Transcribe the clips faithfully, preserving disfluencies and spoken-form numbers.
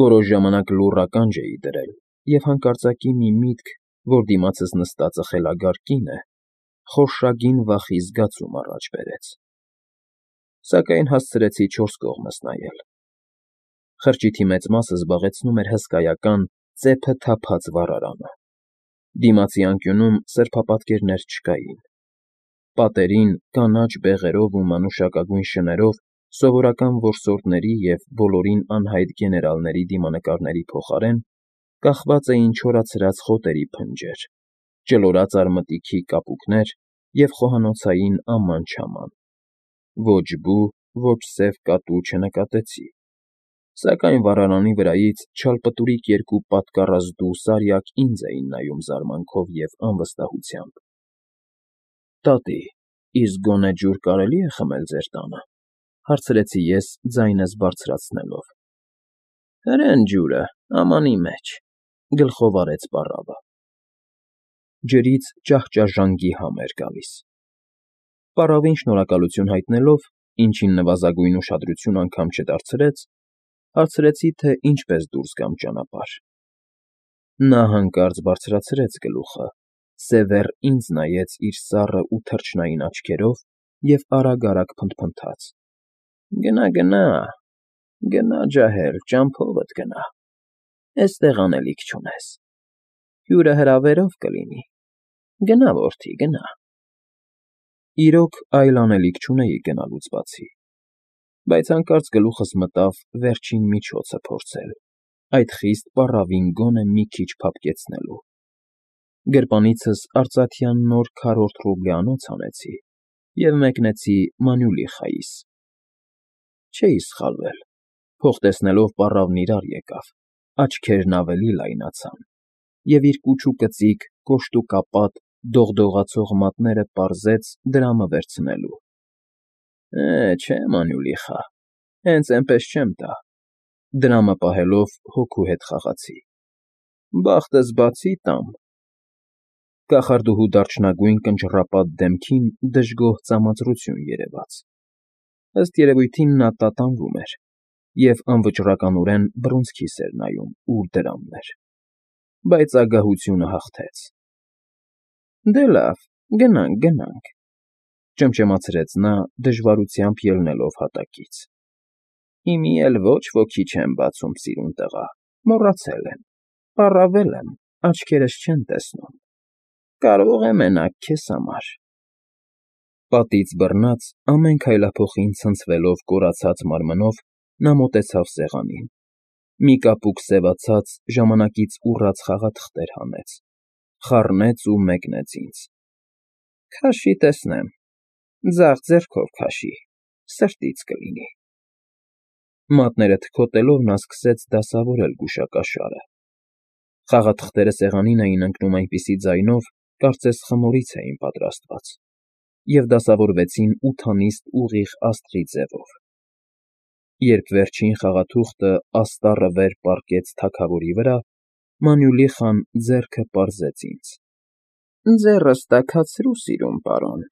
Որոշ ժամանակ լուռ ականջ էի դրել և հանկարծակի մի միտք, որ դիմացս նստածը խելագար կին է, խորշագին վախի զգացում առաջ բերեց, սակայն հասցրեցի չորս կողմս նայել. խրճիթի մեծ մասը զբաղեցնում էր հսկայական, ծեփը թափած վառարանը, դիմացի անկյունում սրբապատկերներ չկային, պատերին կանաչ բեղերով ու մանուշակագույն շներով սովորական որսորդների և բոլորին անհայտ գեներալների դիմանկարների փոխարեն կախված էին չորացրած խոտերի փնջեր, ճլորած արմատիքի կապուկներ և խոհանոցային աման֊չաման, ոչ բու, ոչ սև կատու չնկատեցի, սակայն վառարանի վրայից չալպտուրիկ երկու պատկառազդու սարյակ ինձ էին նայում զարմանքով և անվստահությամբ։ ֊ Տատի, իսկ գոնե ջուր կարելի՞ է խմել ձեր տանը,֊ հարցրի ես ձայնս բարձրացնելով։ ֊ Հրեն ջուրը, ամանի մեջ,֊ գլխով արեց պառավը։ Ջրից ճահճաժանգի համ էր գալիս։ Պառավին շնորհակալություն հայտնելով, ինչին նվազագույն ուշադրություն անգամ չդարձրեց, հարցրի, թե ինչպես դուրս գամ ճանապարհ։ Նա հանկարծ բարձրացրեց գլուխը, սևեռ ինձ նայեց իր սառն ու թռչնային աչքերով և արագ֊արագ փնթփնթաց. ֊ Գնա, գնա, ջահել, ճամփովդ գնա, էստեղ անելիք չունես, հյուրը հրավերով կլինի, գնա, որդի, գնա… Իրոք, այլ անելիք չունեի գնալուց բացի, բայց հանկարծ գլուխս մտավ վերջին միջոցը փորձել, այդ խիստ պառավին գոնե մի քիչ փափկեցնելու… Գրպանիցս արծաթյան նոր քառորդ ռուբլյանոց հանեցի և մեկնեցի Մանուլիխայիս։ Չէի սխալվել, փող տեսնելով պառավն իրար եկավ, աչքերն ավելի լայնացան, և իր կուչուկծիկ, կոշտուկապատ, դողդողացող մատները պարզեց դրամը վերցնելու։ ֊ Է, չէ, Մանուլիխա, հենց էնպես չեմ տա,֊ դրամը պահելով հոգու հետ խաղացի,֊ բախտս բացի տամ… Կախարդուհու դարչնագույն կնճռապատ դեմքին դժգոհ ծամածրություն երևաց, ըստ երևույթին նա տատանվում էր և անվճռականորեն բռունցքիս էր նայում, ուր դրամն էր, բայց ագահությունը հաղթեց։ ֊ Դե լավ, գնանք, գնանք,֊ ճմճմացրեց նա, դժվարությամբ ելնելով հատակից։ ֊ Հիմի էլ ոչ ոքի չեմ բացում, սիրուն տղա, մոռացել եմ, պառավել եմ, աչքերս չեն տեսնում, կարող է մենակ քեզ համար… Պատից բռնած, ամեն քայլափոխին ցնցվելով կորացած մարմնով նա մոտեցավ սեղանին, մի կապուկ սևացած, ժամանակից ուռած խաղաթղթեր հանեց, խառնեց ու մեկնեց ինձ։ ֊ Քաշի տեսնեմ, ձախ ձեռքով քաշի, սրտից կլինի… Մատները թքոտելով նա սկսեց դասավորել գուշակաշարը։ Խաղաթղթերը սեղանին էին ընկնում այնպիսի ձայնով, կարծես խմորից էին պատրաստված, և դասավորվեցին ութանիստ ուղիղ աստղի ձևով։ Երբ վերջին խաղաթուղթը աստառը վեր պառկեց թագավորի վրա, Մանուլիխան ձեռքը պարզեց ինձ. ֊ Ձեռս տաքացրու, սիրուն պարոն,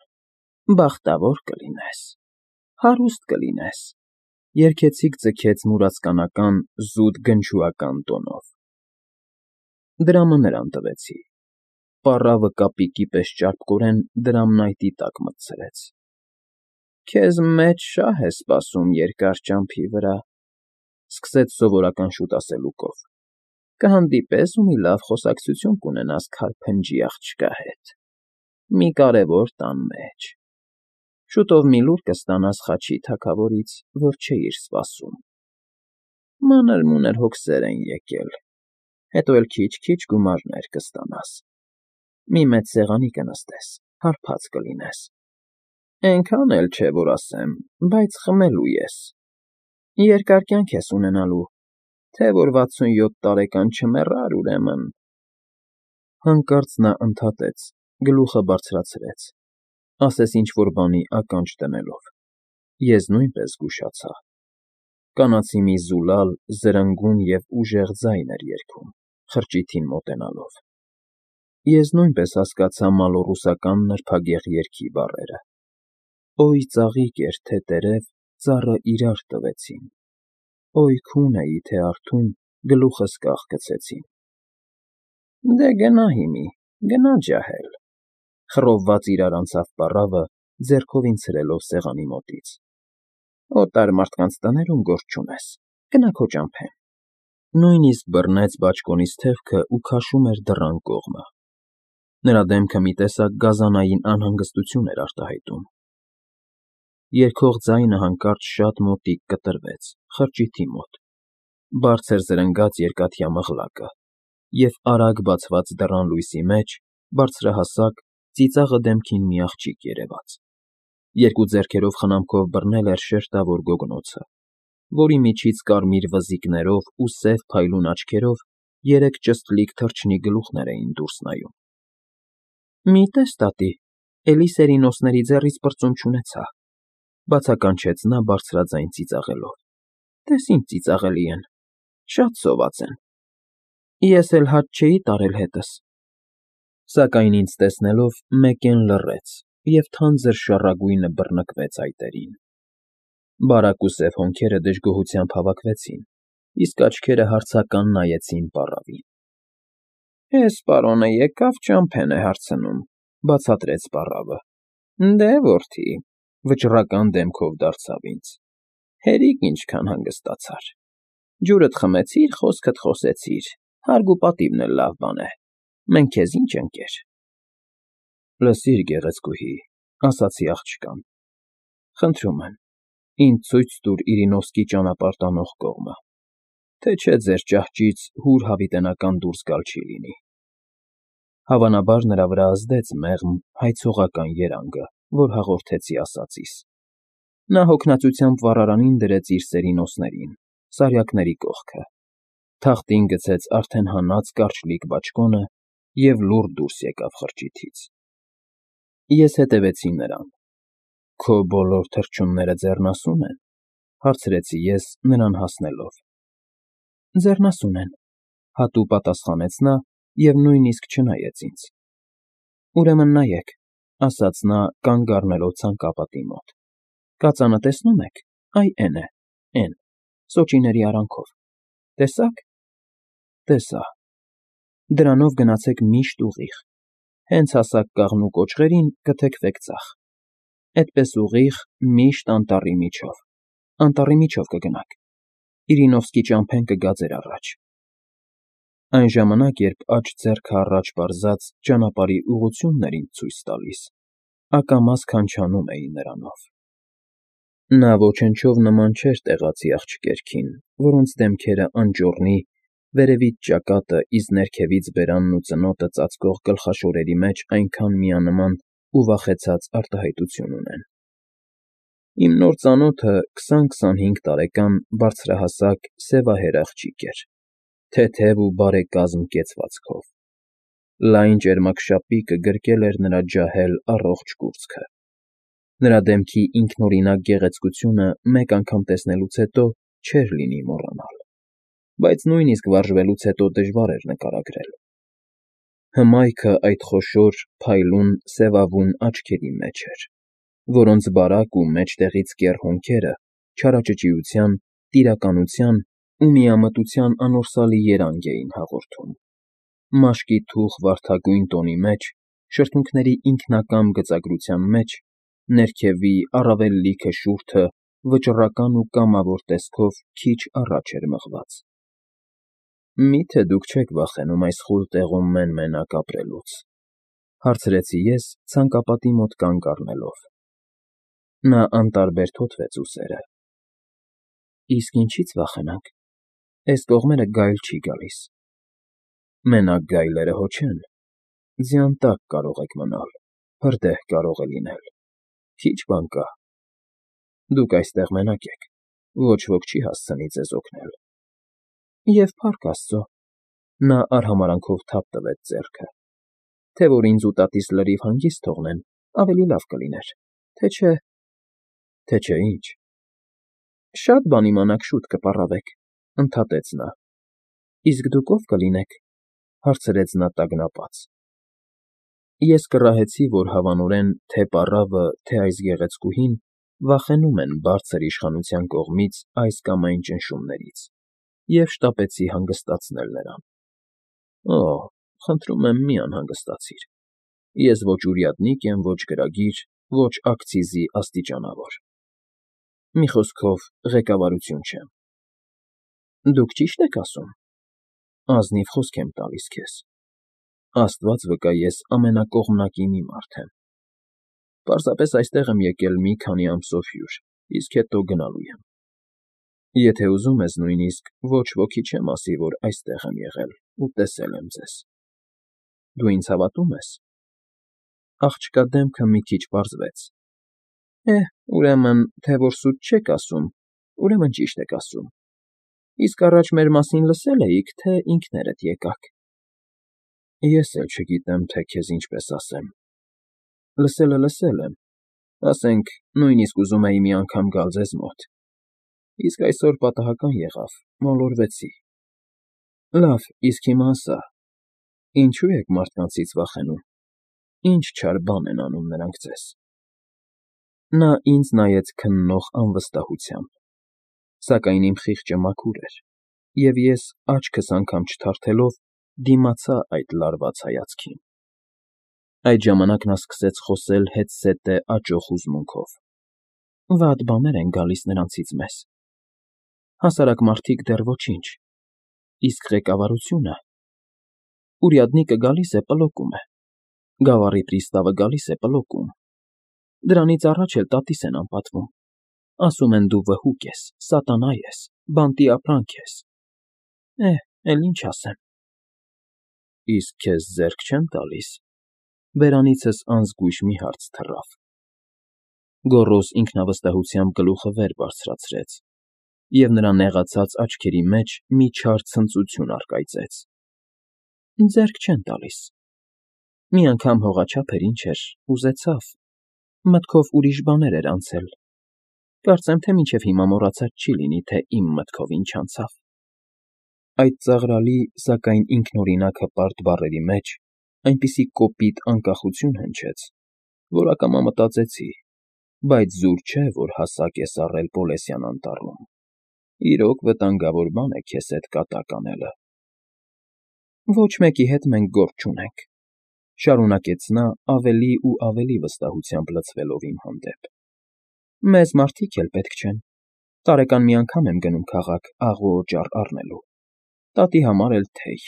բախտավոր կլինես, հարուստ կլինես,֊ երգեցիկ ձգեց մուրացկանական, զուտ գնչուական տոնով։ Դրամը նրան տվեցի։ Պառավը կապիկի պես ճարպկորեն դրամն այտի տակ մտցրեց։ ֊ Քեզ մեծ շահ է սպասում երկար ճամփի վրա,֊ սկսեց սովորական շուտասելուկով,֊ կհանդիպես ու մի լավ խոսակցություն կունենաս քար֊փնջի աղջկա հետ, մի կարևոր տան մեջ, շուտով մի լուր կստանաս Խաչի թագավորից, որ չէիր սպասում, մանր֊մունր հոգսեր են եկել, հետո էլ քիչ֊քիչ գումարներ կստանաս, մի մեծ սեղանի կնստես, հարբած կլինես, էնքան էլ չէ, որ ասեմ, բայց խմելու ես, երկար կյանք ես ունենալու, թե որ վաթսունյոթ տարեկան չմեռար, ուրեմն… Հանկարծ նա ընդհատեց, գլուխը բարձրացրեց, ասես ինչ֊որ բանի ականջ դնելով։ Ես նույնպես զգուշացա. կանացի մի զուլալ, զրնգուն և ուժեղ ձայն էր երգում, խրճիթին մոտենալով։ Ես նույնպես հասկացա մալոռուսական նրբագեղ երգի բառերը. «Օյ ծաղիկ էր, թե տերև ծառը իրար տվեցին, օյ քուն էի, թե արթուն գլուխս կախ գցեցին։ Դե գնա հիմի, գնա ջահել, խռովված իրար անցավ պառավը, ձեռքով ինձ սրելով սեղանի մոտից։ Օտար մարդկանց տներում գործ չունես, գնա քո ճամփեն։ Նույնիսկ բռնեց բաճկոնից թևքը ու քաշում էր դռան կողմը։ Նրա դեմքը մի տեսակ գազանային անհանգստություն էր արտահայտում։ Երգող ձայնը հանկարծ շատ մոտիկ կտրվեց, խրճիթի մոտ, բարձր զրնգաց երկաթյա մղլակը, և արագ բացված դռան լույսի մեջ բարձրահասակ, ծիծաղը դեմքին մի աղջիկ երևաց։ Երկու ձեռքերով խնամքով բռնել էր շերտավոր գոգնոցը, որի միջից կարմիր վզիկներով ու սև փայլուն աչքերով երեք ճստլիկ թռչնի գլուխներ էին դուրս նայում։ Մի տես տատի, էլի սերինոսների ձեռից պրծում չունեցա, բացականչեց նա բարձրաձայն ծիծաղելով։ Տես ինչ ծիծաղելի են, շատ սոված են։ Ես էլ հաճ չէի տարել հետս։ Սակայն ինձ տեսնելով մեկեն լռեց և թանձր շառագույնը բռնկվեց այտերին։ Բարակ ու սև հոնքերը դժգոհությամբ հավաքվեցին, իսկ աչքերը հարցական նայեցին պառավին։ Էս պարոնը եկավ ճամփեն է հարցնում, բացատրեց պառավը։ Դե, որդի, վճռական դեմքով դարձավ ինձ, հերիք ինչքան հանգստացար։ Ջուրդ խմեցիր, խոսքդ խոսեցիր, հարգ ու պատիվն էլ լավ բան է, մենք քեզ ինչ ընկեր։ Լսիր, գեղեցկուհի, ասացի աղջկան, խնդրում եմ, ինձ ցույց տուր Իրինովսկի ճանապարհ տանող կողմը, թե չէ ձեր ճահճից հուր հավիտենական դուրս գալ չի լինի։ Հավանաբար նրա վրա ազդեց մեղմ, հայցողական երանգը, որ հաղորդեցի ասածիս։ Նա հոգնածությամբ վառարանին դրեց իր սերինոսներին, սարյակների կողքը, թախտին գցեց արդեն հանած կարճլիկ բաճկոնը և լուռ դուրս եկավ խրճիթից։ Ես հետևեցի նրան։ Քո բոլոր թռչունները ձեռնասո՞ւն են, հարցրեցի ես նրան հասնելով։ Ձեռնասուն են, հատու պատասխանեց նա և նույնիսկ չնայեց ինձ։ Ուրեմն նայեք, ասաց նա կանգ առնելով ցանկապատի մոտ։ Կածանը տեսնո՞ւմ եք, այ էն է, էն, սոճիների արանքով, տեսա՞ք։ Տեսա։ Դրանով գնացեք միշտ ուղիղ, հենց հասաք կաղնու կոճղերին կթեքվեք ձախ, էդպես ուղիղ, միշտ անտառի միջով, անտառի միջով կգնաք, Իրինովսկի ճամփեն կգա ձեր առաջ։ Այն ժամանակ, երբ աջ ձեռքը առաջ պարզած ճանապարհի ուղղությունն էր ինձ ցույց տալիս, ակամաս քանչանում էի նրանով։ Նա ոչնչով նման չէր տեղացի աղջիկերքին, որոնց դեմքերը անճոռնի, վերևից ճակատը, իսկ ներքևից բերանն ու ծնոտը ծածկող գլխաշորերի մեջ այնքան միանման ու վախեցած արտահայտություն ունեն։ Իմ նոր ծանոթը քսան֊քսանհինգ տարեկան բարձրահասակ սևահեր աղջիկ էր, թեթև ու բարեկազմ կեցվածքով։ Լայն ճերմակշապիկը գրկել էր նրա ջահել, առողջ կուրծքը։ Նրա դեմքի ինքնօրինակ գեղեցկությունը մեկ անգամ տեսնելուց հետո չէր լինի մոռանալ, բայց նույնիսկ վարժվելուց հետո դժվար էր նկարագրել։ Հմայքը այդ խոշոր, փայլուն, սևավուն աչքերի մեջ էր, որոնց բարակ ու մեջտեղից կեռ հոնքերը չարաճճիության, տիրականության ու միամտության անորսալի երանգ էին հաղորդում։ Մաշկի թուխ վարդագույն տոնի մեջ, շրթունքների ինքնակամ գծագրության մեջ, ներքևի, առավել լիքը շուրթը վճռական ու կամավոր տեսքով քիչ առաջ էր մղված։ Մի՞թե դուք չեք վախենում այս խուլ տեղում մեն֊մենակ ապրելուց, հարցրեցի ես ցանկապատի մոտ կանգ առնելով։ Նա անտարբեր թոթվեց ուսերը։ Իսկ ինչի՞ց վախենանք, էս կողմերը գայլ չի գալիս։ Մենակ գայլերը հո չեն, ձյան տակ կարող եք մնալ, հրդեհ կարող է լինել, քիչ բան կա։ Դուք այստեղ մենակ եք, ոչ ոք չի հասցնի ձեզ օգնել։ Եվ փառք Աստծո, նա արհամարհանքով թափ տվեց ձեռքը, թե որ ինձ ու տատիս լրիվ հանգիստ թողնեն, ավելի լավ կլիներ, թե չէ… Թե չէ ինչ։ Շատ բան իմանաք շուտ կպառավեք, ընդհատեց նա։ Իսկ դուք ով կլինեք, հարցրեց նա տագնապած։ Ես կռահեցի, որ հավանորեն թե պառավը, թե այս գեղեցկուհին վախենում են բարձր իշխանության կողմից այս կամ այն ճնշումներից և շտապեցի հանգստացնել նրան։ Օ, խնդրում եմ, մի անհանգստացիր, ես ոչ ուրյադնիկ եմ, ոչ գրագիր, ոչ ակցիզի աստիճանավոր, մի խոսքով, ղեկավարություն չեմ։ Դուք ճի՞շտ եք ասում, ազնիվ խոսք եմ տալիս քեզ, Աստված վկա, ես ամենակողմնակի մի մարդ եմ, պարզապես այստեղ եմ եկել մի քանի ամսով հյուր, իսկ հետո գնալու եմ։ Եթե ուզում ես, նույնիսկ ոչ ոքի չեմ ասի, որ այստեղ եմ եղել ու տեսել եմ ձեզ։ Դու ինձ հավատո՞ւմ ես։ Աղջկա դեմքը մի քիչ պարզվեց։ Է, ուրեմն, թե որ սուտ չեք ասում, ուրեմն ճիշտ եք ասում, իսկ առաջ մեր մասին լսե՞լ էիք, թե ինքներդ եկաք։ Ես էլ չգիտեմ, թե քեզ ինչպես ասեմ, լսելը լսել եմ, ասենք, նույնիսկ ուզում էի մի անգամ գալ ձեզ մոտ, իսկ այսօր պատահական եղավ, մոլորվեցի։ Լավ, իսկ հիմա ասա, ինչո՞ւ եք մարդկանցից վախենում, ինչ չար բան են անում նրանք ձեզ։ Նա ինձ նայեց քննող անվստահությամբ, սակայն իմ խիղճը մաքուր էր, և ես, աչքս անգամ չթարթելով, դիմացա այդ լարված հայացքին։ Այդ ժամանակ նա սկսեց խոսել հետզհետե աճող հուզմունքով. Վատ բաներ են գալիս նրանցից մեզ, հասարակ մարդիկ դեռ ոչինչ, իսկ ղեկավարությունը… Ուրյադնիկը գալիս է, պլոկում է, գավառի պրիստավը գալիս է, պլոկում, դրանից առաջ էլ տատիս են անպատվում, ասում են դու վհուկ ես, սատանա ես, բանտի ապրանք ես, է, էլ ինչ ասեմ։ Իսկ քեզ ձեռք չեն տալիս, բերանիցս անզգույշ մի հարց թռավ։ Գոռոզ ինքնավստահությամբ գլուխը վեր բարձրացրեց, և նրա նեղացած աչքերի մեջ մի չար ցնծություն առկայծեց։ Ձեռք չեն տալիս։ Մի անգամ հողաչափ էր, ինչ էր, ուզեցավ, մտքով ուրիշ բաներ էր անցել, կարծեմ, թե մինչև հիմա մոռացած չի լինի, թե իմ մտքով ինչ անցավ։ Այդ ծաղրալի, սակայն ինքնօրինակ հպարտ բառերի մեջ այնպիսի կոպիտ անկախություն հնչեց, որ ակամա մտածեցի, բայց զուր չէ, որ հասակ ես առել Պոլեսյան անտառում, իրոք վտանգավոր բան է քեզ հետ կատակ անելը։ Ոչ մեկի հետ մենք գործ չունենք, շարունակեց նա ավելի ու ավելի վստահությամբ լցվելով իմ հանդեպ։ Մեզ մարդիկ էլ պետք չեն, տարեկան մի անգամ եմ գնում քաղաք աղ ու օճառ առնելու, տատի համար էլ թեյ։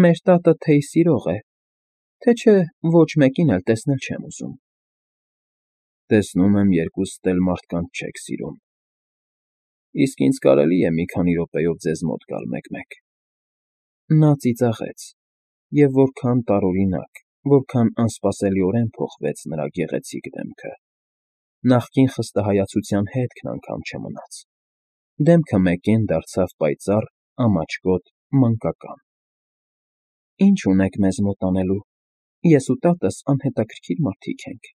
Մեր տատը թեյ սիրող է, թե չէ ոչ մեկին էլ տեսնել չեմ ուզում։ Տեսնում եմ, երկուստ էլ մարդկանց չեք սիրում։ Իսկ ինձ կարելի է մի քանի րոպեով ձեզ մոտ գալ մեկ֊մեկ։ Նա ծիծաղեց, և որքան տարօրինակ, որքան անսպասելիորեն փոխվեց նրա գեղեցիկ դեմքը։ Նախկին խստահայացության հետքն անգամ չմնաց։ Դեմքը մեկեն դարձավ պայծառ, ամաչկոտ, մանկական։ Ինչ ունեք մեզ մոտ անելու, ես ու տատս անհետաքրքիր մարդիկ ենք։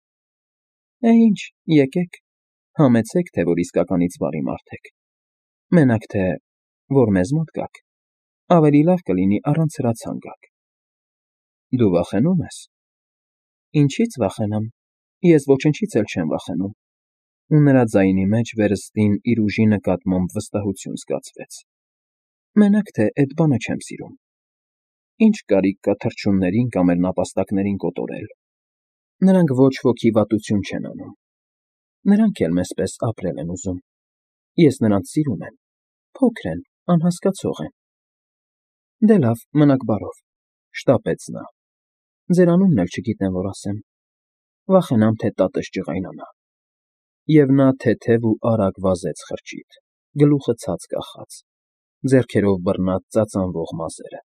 Է ինչ, եկեք, համեցեք, թե որ իսկականից բարի մարդ եք, մենակ թե, որ մեզ մոտ գաք, ավելի լավ կլինի առանց հրացան գաք։ Դու վախենո՞ւմ ես։ Ինչի՞ց վախենամ, ես ոչնչից էլ չեմ վախենում, ու նրա ձայնի մեջ վերստին իր ուժի նկատմամբ վստահություն զգացվեց։ Մենակ թե էդ բանը չեմ սիրում։ Ինչ կարիք կա թռչուններին կամ էլ նապաստակներին կոտորել։ Նրանք ոչ ոքի վատություն չեն անում։ Նրանք էլ մեզ պես ապրել են ուզում։ Ես նրանց սիրում եմ, փոքր են, անհասկացող են։ Դե լավ, մնաք բարով, շտապեց նա։ Ձեր անունն էլ չգիտեմ, որ ասեմ։ Վախենամ, թե տատս ջղայնանա։ Եվ նա թեթև ու արագ վազեց խրճիթ, գլուխը ցած կախած, ձեռքերով բռնած ծածանվող մազերը։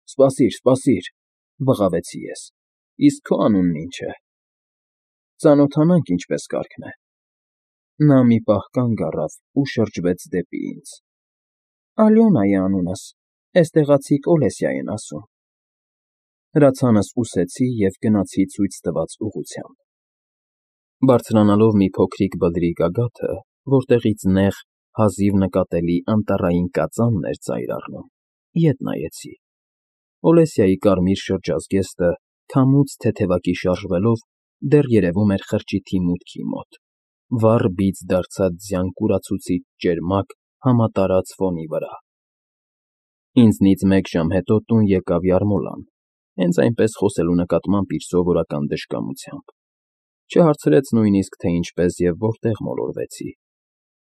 Սպասիր, սպասիր, բղավեցի ես, իսկ քո անունն ինչ է։ Ծանոթանանք ինչպես կարգն է։ Նա մի պահ կանգ առավ ու շրջվեց դեպի ինձ։ Ալյոնա է անունս, էստեղացիք Օլեսիա են ասում։ Հրացանս ուսեցի և գնացի ցույց տված ուղղությամբ։ Բարձրանալով մի փոքրիկ բլրի գագաթը, որտեղից նեղ, հազիվ նկատելի անտառային կածանն էր ծայր առնում, ետ նայեցի։ Օլեսիայի կարմիր շրջազգեստը, քամուց թեթևակի շարժվելով, դեռ երևում էր խրճիթի մուտքի մոտ, վառ բիծ դարձած ձյան կուրացուցիչ ճերմակ, համատարած ֆոնի վրա։ Ինձնից մեկ ժամ հետո տուն եկավ Յարմոլան, հենց այնպես խոսելու նկատմամբ իր սովորական դժկամությամբ, չհարցրեց նույնիսկ, թե ինչպես և որտեղ մոլորվեցի,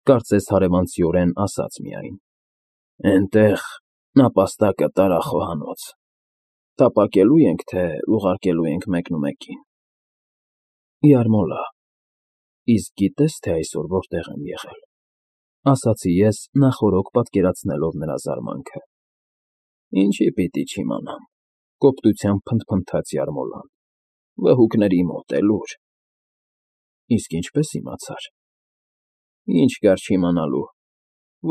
կարծես հարևանցիորեն ասաց միայն. «Էնտեղ նապաստակը տարախոհանոց, տապակելո՞ւ ենք, թե ուղարկելու ենք մեկնումեկին»։ «Յարմոլա, իսկ գիտե՞ս, թե այսօր որտեղ եմ եղել,֊ ասացի ես, նախօրոք պատկերացնելով նրա զարմանքը։ «Ինչի պիտի չիմանամ,֊ կոպտությամբ փնթփնթաց Յարմոլան,֊ վհուկների մոտ, էլուր»։ «Իսկ ինչպե՞ս իմացար»։ «Ինչ կար չիմանալու,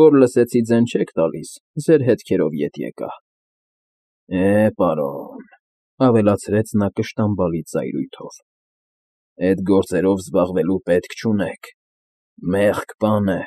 որ լսեցի ձեն չեք տալիս, ձեր հետքերով ետ եկա»։ «Է, պարոն,֊ ավելացրեց նա կշտամբալի ծայրույթով,֊ էդ գործերով զբաղվելու պետք չունեք, մեղք բան է»։